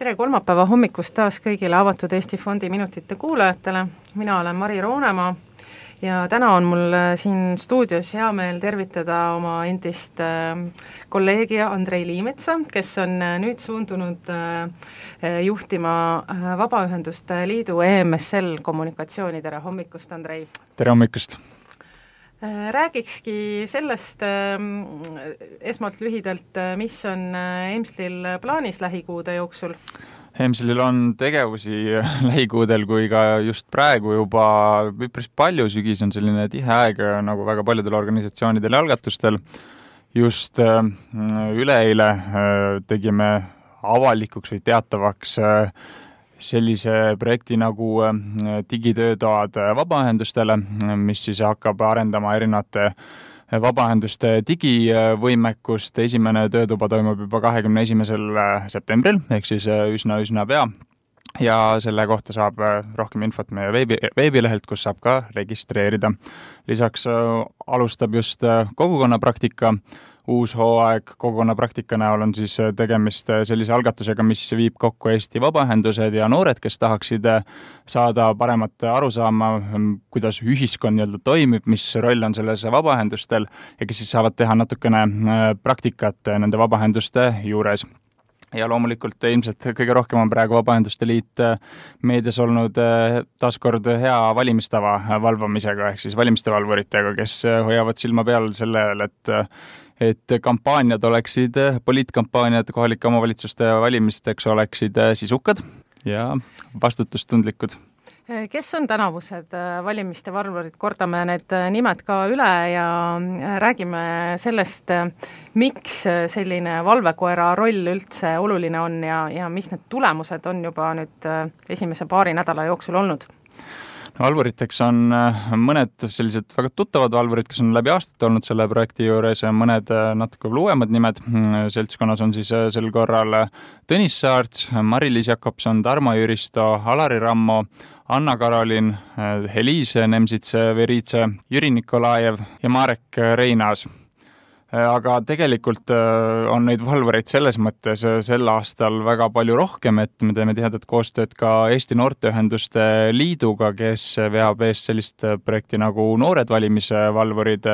Tere kolmapäeva hommikust taas kõigile Avatud Eesti Fondi minutite kuulajatele. Mina olen Mari Roonemaa ja täna on mul siin stuudios hea meel tervitada oma endist kolleegi Andrei Liimetsa, kes on nüüd suundunud juhtima Vabaühenduste Liidu EMSL kommunikatsiooni. Tere hommikust, Andrei! Tere hommikust! Räägikski sellest esmalt lühidalt, mis on EMSL-il plaanis lähikuude jooksul? EMSL-il on tegevusi lähikuudel kui ka just praegu juba päris palju. Sügis on selline tihe aeg nagu väga paljudel organisatsioonidel ja algatustel. Just üleeile tegime avalikuks või teatavaks sellise projekti nagu digitöötoad vabaühendustele, mis siis hakkab arendama erinevate vabaühenduste digivõimekust. Esimene töötuba toimub juba 21. septembril, ehk siis üsna pea. Ja selle kohta saab rohkem infot meie veebilehelt, kus saab ka registreerida. Lisaks alustab just kogukonnapraktika. Uus hooaeg kogukonnapraktika näol on siis tegemist sellise algatusega, mis viib kokku Eesti vabaühendused ja noored, kes tahaksid saada paremat arusaama, kuidas ühiskond nii-öelda toimib, mis roll on selles vabaühendustel ja kes siis saavad teha natukene praktikat nende vabaühenduste juures. Ja loomulikult ilmselt kõige rohkem on praegu Vabaühenduste Liit meedias olnud taaskord hea valimistava valvamisega, ehk siis valimistevalvuritega, kes hoiavad silma peal sellel, et kampaaniad oleksid, poliitkampaaniad kohalike omavalitsuste valimisteks oleksid sisukad ja vastutustundlikud. Kes on tänavused valimiste valvurid? Kordame need nimed ka üle ja räägime sellest, miks selline valvekoera roll üldse oluline on ja mis need tulemused on juba nüüd esimese paari nädala jooksul olnud. Valvuriteks on mõned sellised väga tuttavad valvurid, kes on läbi aastat olnud selle projekti juures, mõned natuke uuemad nimed. Seltskonnas on siis sel korral Tõnis Saarts, Mari-Liis Jakobson, Tarmo Jüristo, Alari Rammo, Anna-Karolin, Heliise Nemsitse-Veritse, Jüri Nikolajev ja Marek Reinaas. Aga tegelikult on neid valvureid selles mõttes sel aastal väga palju rohkem, et me teeme tihedat koostööd ka Eesti Noorteühenduste Liiduga, kes veab eest sellist projekti nagu Noored valimisvalvurid,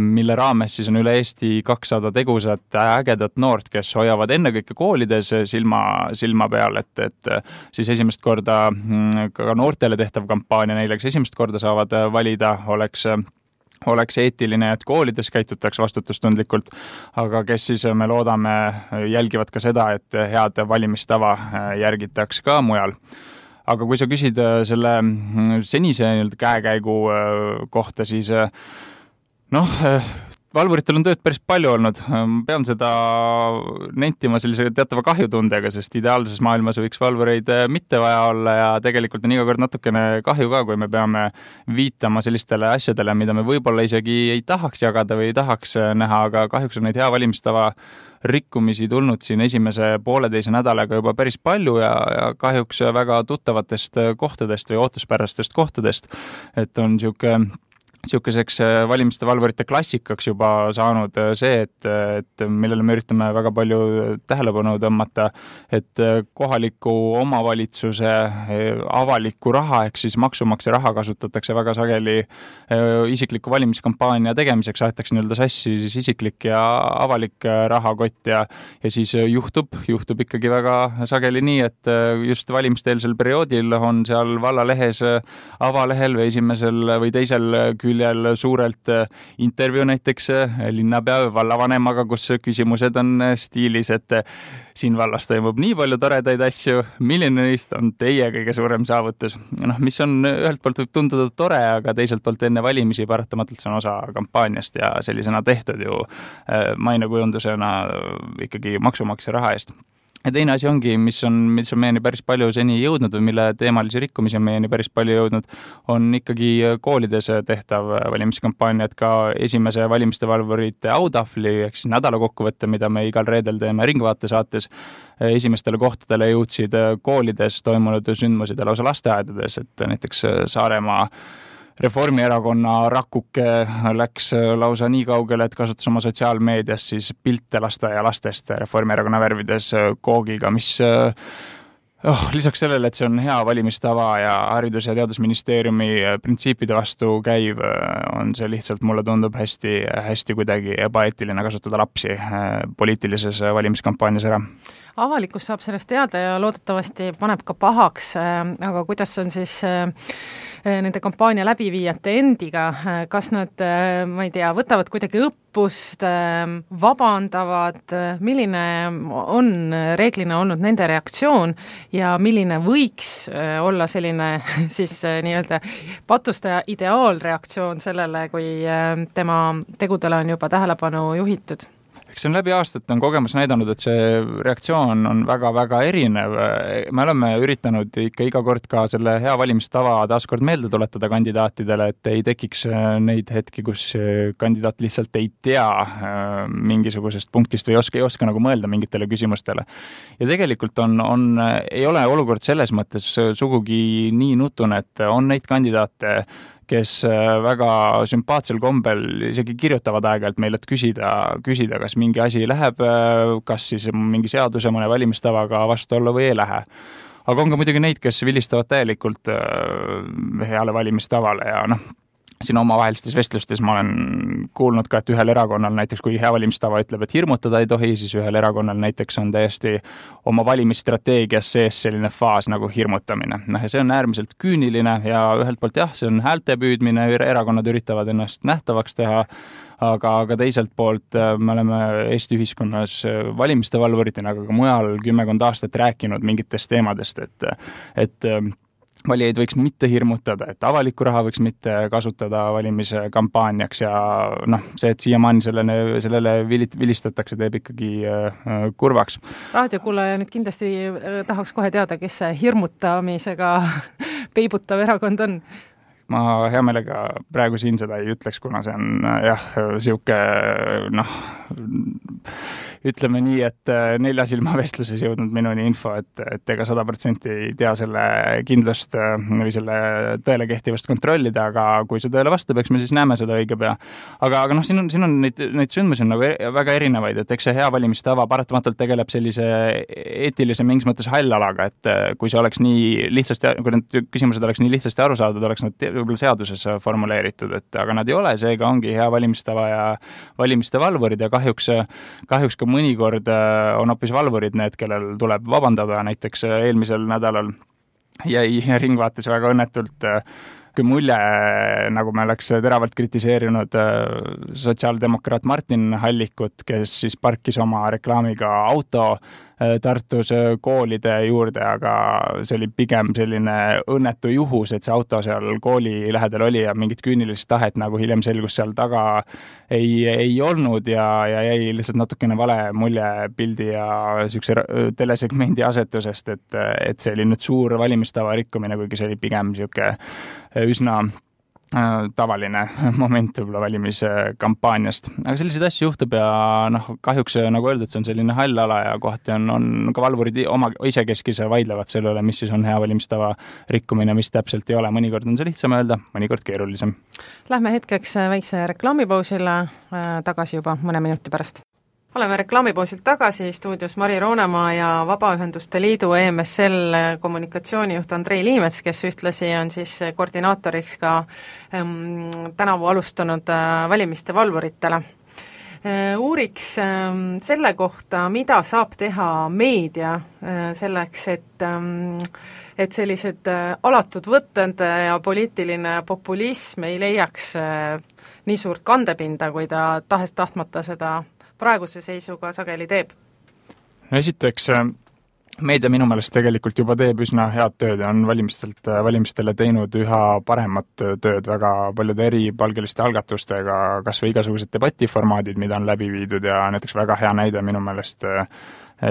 mille raames siis on üle Eesti 200 tegusat ägedat noort, kes hoiavad ennekõike koolides silma peal, et siis esimest korda ka noortele tehtav kampaania neile, kes esimest korda saavad valida, oleks eetiline, et koolides käitutaks vastutustundlikult, aga kes siis me loodame jälgivad ka seda, et head valimistava järgitaks ka mujal. Aga kui sa küsid selle senise käekäigu kohta, siis valvuritel on tööd päris palju olnud. Pean seda nentima sellise teatava kahjutundega, sest ideaalses maailmas võiks valvureid mitte vaja olla ja tegelikult on iga kord natukene kahju ka, kui me peame viitama sellistele asjadele, mida me võib-olla isegi ei tahaks jagada või ei tahaks näha, aga kahjuks on neid hea valimistava rikkumisi tulnud siin esimese pooleteise nädalaga juba päris palju ja kahjuks väga tuttavatest kohtadest või ootuspärastest kohtadest, et on niisuguseks valimiste valvurite klassikaks juba saanud see, et millele me üritame väga palju tähelepanu tõmmata, et kohaliku omavalitsuse avaliku raha ehk siis maksumaksja raha kasutatakse väga sageli isikliku valimiskampaania tegemiseks, aetakse nii-öelda sassi siis isiklik ja avalik rahakott ja siis juhtub ikkagi väga sageli nii, et just valimisteelsel perioodil on seal vallalehes avalehel või esimesel või teisel küljel suurelt intervjuu näiteks linnapea või vallavanemaga, kus küsimused on stiilis, et siin vallas toimub nii palju toredaid asju, milline neist on teie kõige suurem saavutus. Mis on ühelt poolt võib tunduda tore, aga teiselt poolt enne valimisi paratamatult see on osa kampaaniast ja sellisena tehtud ju mainekujundusena ikkagi maksumaksja raha eest. Ja teine asi ongi, mis on meieni päris palju seni jõudnud või mille teemalisi rikkumisi on meieni päris palju jõudnud, on ikkagi koolides tehtav valimiskampaania, et ka esimese valimistevalvurite autahvli ehk siis nädalakokkuvõtte, mida me igal reedel teeme Ringvaate saates, esimestele kohtadele jõudsid koolides toimunud sündmused lausa lasteaedades, et näiteks Saaremaa Reformierakonna rakuke läks lausa nii kaugele, et kasutas oma sotsiaalmeedias siis pilte lasteaialastest Reformierakonna värvides koogiga, mis Lisaks sellele, et see on hea valimistava ja Haridus- ja Teadusministeeriumi printsiipide vastu käiv, on see lihtsalt, mulle tundub hästi kuidagi ebaeetiline kasutada lapsi poliitilises valimiskampaanias ära. Avalikkus saab sellest teada ja loodetavasti paneb ka pahaks, aga kuidas on siis nende kampaania läbiviijate endiga, kas nad, ma ei tea, võtavad kuidagi õppust, vabandavad, milline on reeglina olnud nende reaktsioon ja milline võiks olla selline siis nii-öelda patustaja ideaalreaktsioon sellele, kui tema tegudele on juba tähelepanu juhitud? See on läbi aastat on kogemus näidanud, et see reaktsioon on väga-väga erinev. Me oleme üritanud ikka iga kord ka selle hea valimistava taaskord meelde tuletada kandidaatidele, et ei tekiks neid hetki, kus kandidaat lihtsalt ei tea mingisugusest punktist või ei oska nagu mõelda mingitele küsimustele. Ja tegelikult ei ole olukord selles mõttes sugugi nii nutune, et on neid kandidaate, kes väga sümpaatsel kombel isegi kirjutavad aeg-ajalt meile, et küsida, kas mingi asi läheb, kas siis mingi seaduse mõne valimistavaga vastu olla või ei lähe. Aga on ka muidugi neid, kes vilistavad täielikult heale valimistavale ja siin omavahelistes vestlustes ma olen kuulnud ka, et ühel erakonnal näiteks, kui hea valimistava ütleb, et hirmutada ei tohi, siis ühel erakonnal näiteks on täiesti oma valimisstrateegias sees selline faas nagu hirmutamine. Ja see on äärmiselt küüniline ja ühelt poolt see on häälte püüdmine, erakonnad üritavad ennast nähtavaks teha, aga teiselt poolt me oleme Eesti ühiskonnas valimiste valvuritena, aga ka mujal 10 aastat rääkinud mingitest teemadest, et valijaid võiks mitte hirmutada, et avalikku raha võiks mitte kasutada valimise kampaaniaks ja see, et siiamaani sellele vilistatakse, teeb ikkagi kurvaks. Raadiokuulaja nüüd kindlasti tahaks kohe teada, kes see hirmutamisega peibutav erakond on. Ma hea meelega praegu siin seda ei ütleks, kuna see on siuke ütleme nii, et 4 silma vestluses jõudnud minuni info, et ega 100% ei tea selle kindlust või selle tõele kehtivust kontrollida, aga kui see tõele vastab, eks me siis näeme seda õige pea. Aga siin on neid sündmusi on nagu väga erinevaid, et eks see hea valimistava paratamatult tegeleb sellise eetilise mingis mõttes hallalaga, et kui see oleks nii lihtsasti, kui need küsimused oleks nii lihtsasti aru saadud, oleks nad võib-olla seaduses formuleeritud, aga nad ei ole, seega ongi hea valimistava ja valimiste valvurid ja kahjuks ka mõnikord on hoopis valvurid need, kellel tuleb vabandada, näiteks eelmisel nädalal jäi Ringvaates väga õnnetult kui mulje, nagu me oleks teravalt kritiseerinud sotsiaaldemokraat Martin Hallikut, kes siis parkis oma reklaamiga auto Tartus koolide juurde, aga see oli pigem selline õnnetu juhus, et see auto seal kooli lähedal oli ja mingit küünilist tahet, nagu hiljem selgus seal taga ei olnud ja jäi lihtsalt natukene vale mulje pildi ja siukse telesegmendi asetusest, et see oli nüüd suur valimistava rikkumine, kuigi see oli pigem siuke üsna tavaline moment võib-olla valimiskampaaniast. Aga selliseid asju juhtub ja kahjuks nagu öeldud, see on selline hall ala ja kohati on ka valvurid isekeskis vaidlevad selle üle, mis siis on hea valimistava rikkumine, mis täpselt ei ole. Mõnikord on see lihtsam öelda, mõnikord keerulisem. Lähme hetkeks väikse reklaamipausile, tagasi juba mõne minuti pärast. Oleme reklaamipoosilt tagasi, stuudios Mari Roonemaa ja Vabaühenduste Liidu EMSL kommunikatsioonijuht Andrei Liimets, kes ühtlasi on siis koordinaatoriks ka tänavu alustanud valimiste valvuritele. Uuriks selle kohta, mida saab teha meedia selleks, et sellised alatud võtted ja poliitiline populism ei leiaks nii suurt kandepinda, kui ta tahes-tahtmata seda praeguse seisuga sageli teeb? Esiteks, meedia minu meelest tegelikult juba teeb üsna head tööd ja on valimistele teinud üha paremat tööd väga paljude eripalgeliste algatustega, kas või igasugused debatiformaadid, mida on läbi viidud ja näiteks väga hea näide minu meelest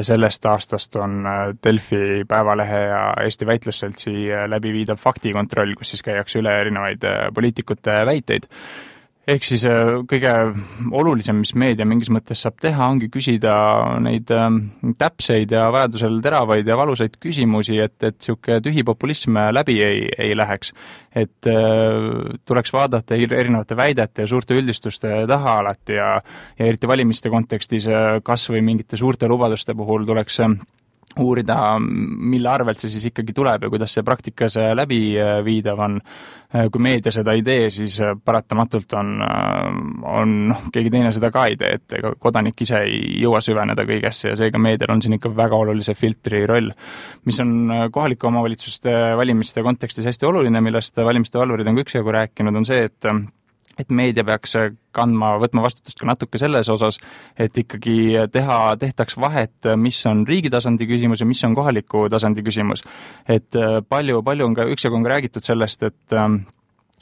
sellest aastast on Delfi, Päevalehe ja Eesti Väitlusseltsi läbi viidav faktikontroll, kus siis käiakse üle erinevaid poliitikute väiteid. Ehk siis kõige olulisem, mis meedia mingis mõttes saab teha, ongi küsida neid täpseid ja vajadusel teravaid ja valusaid küsimusi, et siuke tühi populism läbi ei läheks. Et tuleks vaadata erinevate väidete ja suurte üldistuste taha alati ja eriti valimiste kontekstis kas või mingite suurte lubaduste puhul tuleks uurida, mille arvelt see siis ikkagi tuleb ja kuidas see praktikas läbi viidav on. Kui meedia seda ei tee, siis paratamatult on keegi teine seda ka ei tee, et ega kodanik ise ei jõua süveneda kõigesse ja seega meedial on siin ikka väga olulise filtri roll, mis on kohalike omavalitsuste valimiste kontekstis hästi oluline, millest valimiste valvurid on üksjagu rääkinud, on see, et meedia peaks võtma vastutust ka natuke selles osas, et ikkagi tehtaks vahet, mis on riigi tasandi küsimus ja mis on kohaliku tasandi küsimus. Et palju on ka üksjagu on räägitud sellest,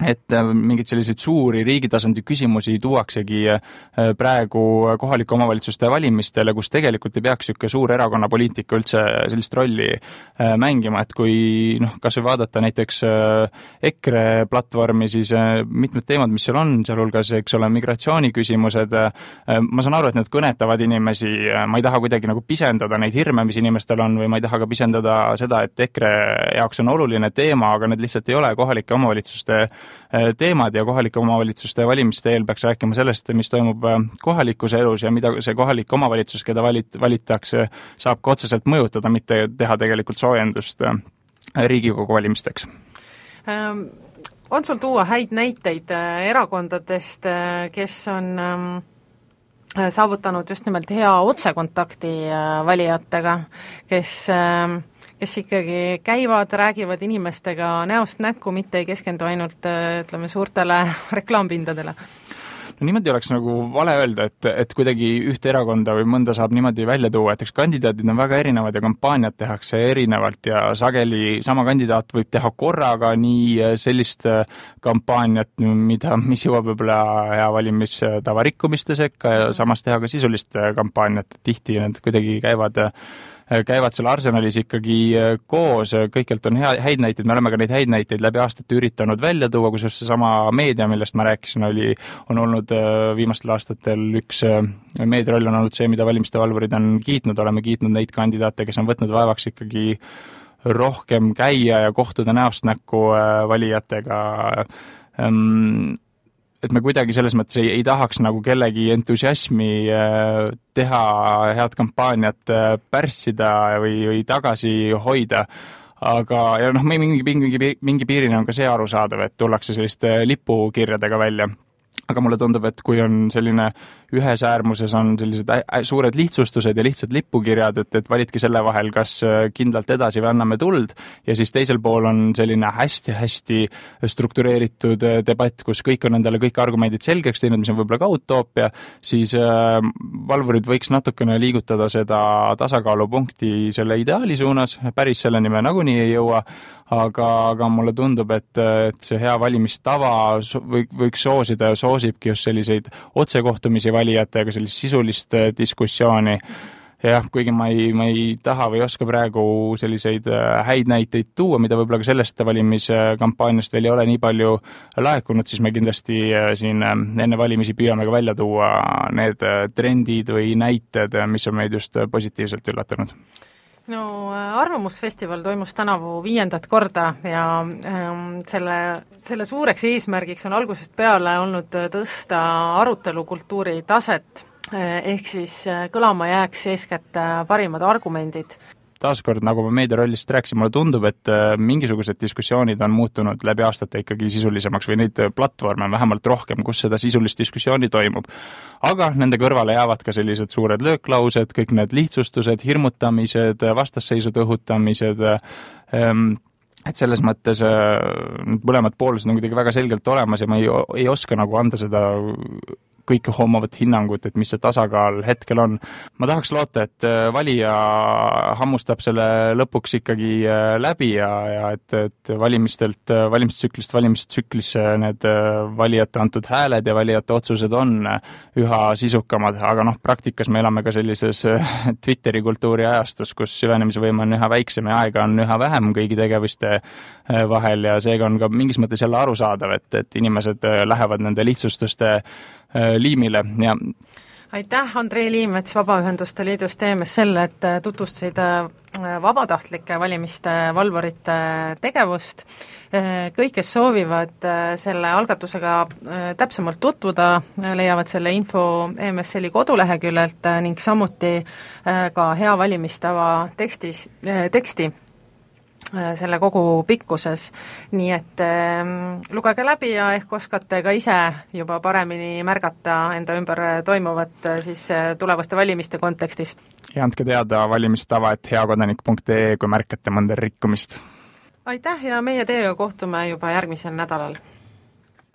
et mingid selliseid suuri riigitasandi küsimusi tuuaksegi praegu kohalike omavalitsuste valimistele, kus tegelikult ei peaks niisugune suur erakonnapoliitika üldse sellist rolli mängima, et kui kas või vaadata näiteks EKRE platvormi, siis mitmed teemad, mis seal on, sealhulgas, eks ole, migratsiooniküsimused, ma saan aru, et need kõnetavad inimesi, ma ei taha kuidagi nagu pisendada neid hirme, mis inimestel on, või ma ei taha ka pisendada seda, et EKRE jaoks on oluline teema, aga need lihtsalt ei ole kohalike omavalitsuste teemad ja kohalike omavalitsuste valimiste eel peaks rääkima sellest, mis toimub kohalikus elus ja mida see kohalik omavalitsus, keda valitakse, saab ka otseselt mõjutada, mitte teha tegelikult soojendust Riigikogu valimisteks. On sul tuua häid näiteid erakondadest, kes on saavutanud just nimelt hea otsekontakti valijatega, kes ikkagi käivad, räägivad inimestega näost näkku, mitte ei keskendu ainult, ütleme, suurtele reklaampindadele? No niimoodi oleks nagu vale öelda, et kuidagi ühte erakonda või mõnda saab niimoodi välja tuua, et eks kandidaadid on väga erinevad ja kampaaniad tehakse erinevalt ja sageli sama kandidaat võib teha korraga nii sellist kampaaniat, mis jõuab võib-olla hea valimistava rikkumiste sekka ja samas teha ka sisulist kampaaniat, tihti need kuidagi käivad seal arsenalis ikkagi koos, kõikjalt on häid näiteid, me oleme ka neid häid näiteid läbi aastate üritanud välja tuua, kusjuures seesama meedia, millest ma rääkisin, on olnud viimastel aastatel üks meediaroll on olnud see, mida valimiste valvurid on kiitnud, oleme kiitnud neid kandidaate, kes on võtnud vaevaks ikkagi rohkem käia ja kohtuda näost näkku valijatega, et me kuidagi selles mõttes ei tahaks nagu kellegi entusiasmi teha, head kampaaniat pärssida või tagasi hoida, aga ja mingi piirini on ka see arusaadav, et tullakse selliste lipukirjadega välja. Aga mulle tundub, et kui on selline ühes äärmuses on sellised suured lihtsustused ja lihtsad lipukirjad, et validki selle vahel, kas kindlalt edasi või anname tuld, ja siis teisel pool on selline hästi-hästi struktureeritud debatt, kus kõik on endale kõik argumendid selgeks teinud, mis on võib-olla ka utoopia, siis valvurid võiks natukene liigutada seda tasakaalupunkti selle ideaali suunas, päris selleni me nagunii ei jõua, aga mulle tundub, et see hea valimistava võiks soosida ja soosibki just selliseid otsekohtumisi valijatega, sellist sisulist diskussiooni. Jah, kuigi ma ei taha või oska praegu selliseid häid näiteid tuua, mida võib-olla ka sellest valimiskampaaniast veel ei ole nii palju laekunud, siis me kindlasti siin enne valimisi püüame ka välja tuua need trendid või näited, mis on meid just positiivselt üllatanud. No Arvamusfestival toimus tänavu 5. korda ja selle suureks eesmärgiks on algusest peale olnud tõsta arutelukultuuri taset, ehk siis kõlama jääks eeskätt parimad argumendid. Taaskord, nagu ma meedia rollist rääkisin, mulle tundub, et mingisugused diskussioonid on muutunud läbi aastate ikkagi sisulisemaks või neid platvorme on vähemalt rohkem, kus seda sisulist diskussiooni toimub. Aga nende kõrvale jäävad ka sellised suured lööklaused, kõik need lihtsustused, hirmutamised, vastasseisud õhutamised, et selles mõttes mõlemad poolused on kuidagi väga selgelt olemas ja ma ei oska nagu anda seda kõike hoomavat hinnangut, et mis see tasakaal hetkel on. Ma tahaks loota, et valija hammustab selle lõpuks ikkagi läbi ja et valimistsüklisse need valijate antud hääled ja valijate otsused on üha sisukamad, aga praktikas me elame ka sellises Twitteri kultuuri ajastus, kus süvenemise võime on üha väiksem ja aega on üha vähem kõigi tegevuste vahel ja seega on ka mingis mõttes jälle arusaadav, et inimesed lähevad nende lihtsustuste liimile ja aitäh, Andrei Liimets Vabaühenduste Liidust EMSL, et tutvustasid vabatahtlike valimiste valvurite tegevust. Kõik, kes soovivad selle algatusega täpsemalt tutvuda, leiavad selle info EMSL-i koduleheküljelt ning samuti ka hea valimistava teksti selle kogu pikkuses, nii et lugege läbi ja ehk oskate ka ise juba paremini märgata enda ümber toimuvat siis tulevaste valimiste kontekstis. Ja andke teada valimistava@heakodanik.ee, kui märkate mõnda rikkumist. aitäh ja meie teiega kohtume juba järgmisel nädalal!